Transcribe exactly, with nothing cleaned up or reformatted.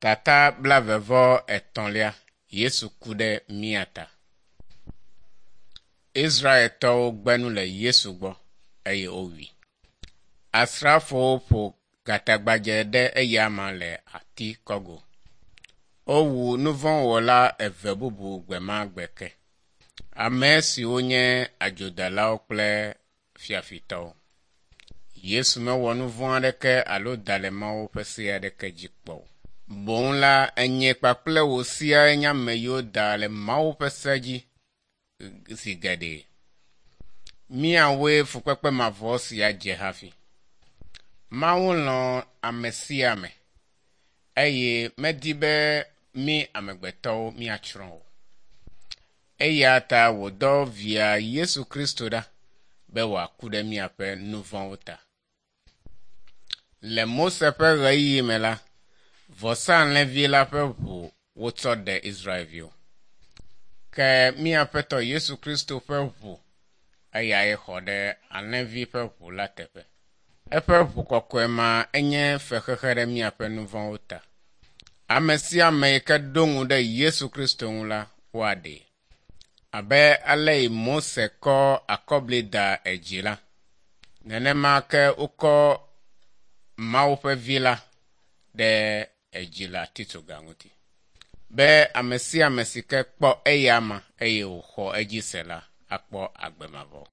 Tata blaeve vɔ etɔ̃lia Yesu ku ɖe mía ta. Israeltɔwo gbe nu le Yesu gbɔ eye wowui. Asrafowo ƒo gatagbadze ɖe eyama le ati kɔgo. Wowu nuvɔ̃wɔla eve bubu gbe ma gbe ke. Ame siwo nye adzodalawo kple fiafitɔwo. Yesu mewɔ nu vɔ̃ aɖeke alo da le Mawu ƒe se aɖeke dzi kpɔ o. Boŋ la, enye kpakple wò siaa nye ame yiwo da le Mawu ƒe se dzi zi geɖe. Míawoe fukpekpe mavɔ sia dze hafi. Mawu lɔ̃ ame sia ame eye medi be mí amegbetɔwo míatsrɔ̃ o. Eya ta wòdɔ via Yesu Kristo ɖa be wòaku ɖe míaƒe nu vɔ̃wo ta. Le Mose ƒe ɣeyiɣi me la, vɔsalẽvi la ƒe ʋu wotsɔ ɖe Israelviwo. Ke mía Aƒetɔ Yesu Kristo ƒe ʋu eyae xɔ ɖe alẽvi ƒe ʋu la teƒe. Eƒe ʋu kɔkɔe ma enye fexexe ɖe míaƒe nu vɔ̃wo ta. Ame sia ame yi ke ɖo ŋu ɖe Yesu Kristo ŋu la, woaɖee. Abe ale yi Mose kɔ akɔbli da edzi la, nenema ke wokɔ Mawu ƒe vi la ɖe edzi le atitsoga ŋuti. Be ame sia ame si ke kpɔ eyama eye wòxɔ edzi se la akpɔ agbe mavɔ.